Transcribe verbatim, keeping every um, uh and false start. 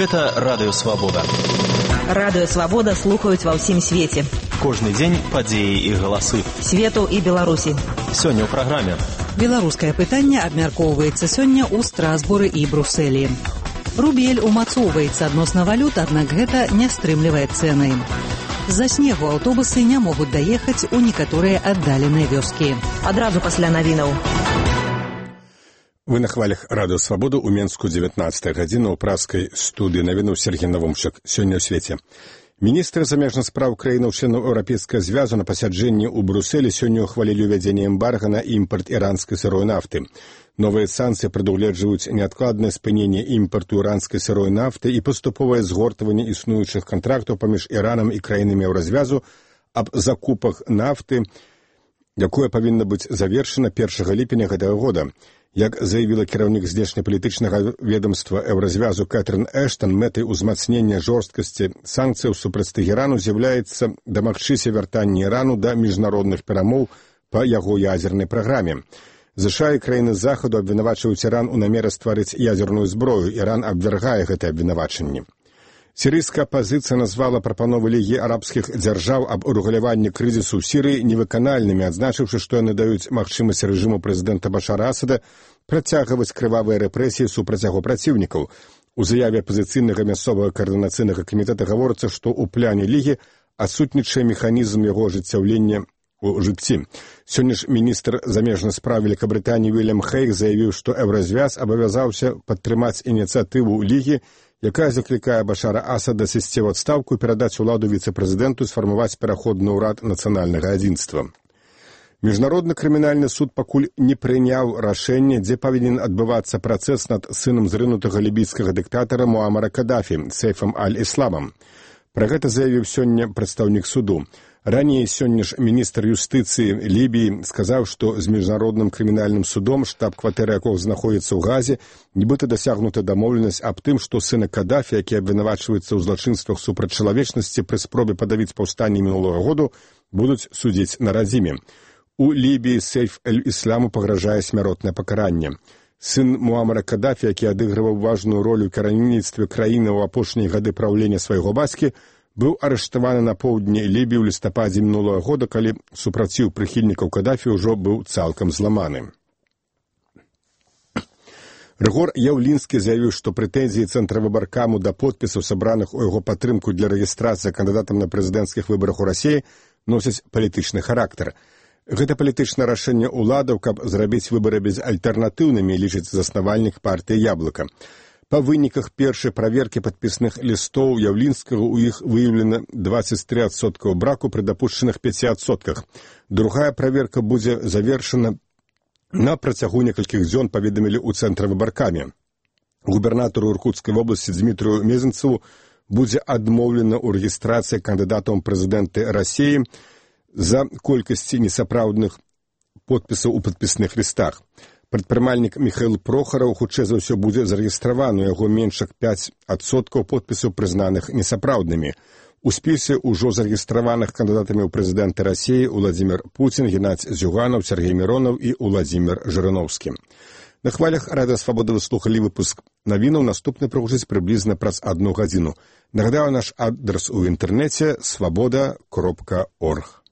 Гэта Радыё Свабода. Радыё Свабода слухаюць ва ўсім свеце. Кожны дзень падзеі і галасы. Свету і Беларусі. Сёння ў праграме. Беларускае пытанне абмяркоўваецца сёння ў Страсбуры і Брусэлі. Рубель умацоўваецца адносна валют, аднак гэта не стрымлівае цэны. З-за снегу аўтобусы не могуць даехаць у некаторыя аддаленыя вёскі. Адразу пасля навінаў. Вы на хвалях Радыё Свабоду ў Менску дзевятнаццатая гадзіна ў праскай студыі навінаў Сергей Навумчык. Сёння ў свеце. Міністры замежных спраў краінаў-членаў Еўрапейскага звязу на пасяджэнні ў Брусэлі сёння ўхвалілі ўвядзенне эмбарга на імпарт іранскай сырой нафты. Новыя санкцыі прадугледжваюць неадкладнае спыненне імпарту іранскай сырой нафты і паступовае згортванне існуючых кантрактаў паміж Іранам і краінамі Еўразвязу аб закупах нафты, якое павінна быць завершана першага ліпеня гэтага года. Як заявіла кіраўнік знешнепалітычнага ведомства Еўразвязу Кэтрын Эштон, мэтай узмацнення жорсткасці санкцыяў супраць Тэхерану з'яўляецца дамагчыся вяртання Ірану да міжнародных перамоў па яго ядзернай праграме. ЗША і краіны Захаду абвінавачваюць Іран у намеры стварыць ядзерную зброю. Іран абвяргае гэтае абвінавачанне. Сірыйская апазіцыя назвала прапановы Лігі арабскіх дзяржаў аб урэгуляванні крызісу ў Сірыі невыканальнымі, адзначыўшы, што яны даюць магчымасць рэжыму прэзідэнта Башара Асада працягваць крывавыя рэпрэсіі супраць яго праціўнікаў. У заяве апазіцыйнага мясцовага каардынацыйнага камітэта гаворыцца, што ў пляне Лігі адсутнічае механізм яго ажыццяўлення у жыцці. Сёння ж міністр замежных спраў Великабрытаніі Уільям Хейг заявіў, што Еўразвяз абавязаўся падтрымаць ініцыятыву Лігі, якая заклікае Башара Асада сысці ў адстаўку і перадаць уладу віцэ-прэзідэнту, сфармаваць пераходны ўрад нацыянальнага адзінства. Міжнародны крымінальны суд пакуль не прыняў рашэнне, дзе павінен адбывацца працэс над сынам зрынутага лібійскага дыктатара Муамара Кадафі, Сейфам аль-Ісламам. Пра гэта заявіў сёння прадстаўнік суду. Раней сёння ж міністр юстыцыі Лібіі сказаў, што з міжнародным крымінальным судом, штаб-кватэры якога знаходзіцца ў Газе, нібыта дасягнута дамоўленасць аб тым, што сына Кадафі, які абвінавачваецца ў злачынствах супраць чалавечнасці пры спробе падавіць паўстанне мінулага году, будуць судзіць на радзіме. У Лібіі Сейф аль-Ісламу пагражае смяротнае пакаранне. Сын Муамара Кадафі, які адыгрываў важную ролю ў кіраўніцтве краіны ў апошнія гады праўлення свайго бацькі, быў арыштаваны на поўдні Лібіі ў лістападзе мінулага года, калі супраціў прыхільнікаў Кадафі ўжо быў цалкам зламаны. Рыгор Яўлінскі заявіў, што прэтэнзіі Цэнтравыбаркаму да подпісаў, сабраных у яго падтрымку для рэгістрацыі кандыдатам на прэзідэнцкіх выбарах у Расіі, носяць палітычны характар. Гэта палітычнае рашэнне ўладаў, каб зрабіць выбары безальтэрнатыўнымі, лічыць заснавальнік партыі «Яблыка». Па выніках першай праверкі падпісных лістоў Яўлінскага у іх выяўлена дваццаць тры адсоткі браку пры дапушчаных пяці адсотках. Другая праверка будзе завершана на працягу некалькіх дзён, паведамілі ў Цэнтравыбаркаме. Губернатару Іркутскай вобласці Дмітрыю Мезенцеву будзе адмоўлена ў рэгістрацыі кандыдатаў прэзідэнты Расіі за колькасці несапраўдных подпісаў у падпісных лістах. Прадпрымальнік Міхаіл Прохараў хутчэй за ўсё будзе зарэгістраваны, у яго менш як пяць адсоткаў подпісаў прызнаных несапраўднымі. У спісе ўжо зарэгістраваных кандыдатамі ў прэзідэнты Расіі Уладзімір Пуцін, Геннадзь Зюганаў, Сергей Міронаў і Уладзімір Жырыноўскі. На хвалях Радыё Свабода вы слухалі выпуск навінаў, наступны прагучыць прыблізна праз адну гадзіну. Нагадаю, наш адрас у інтэрнэце свабода кропка орг.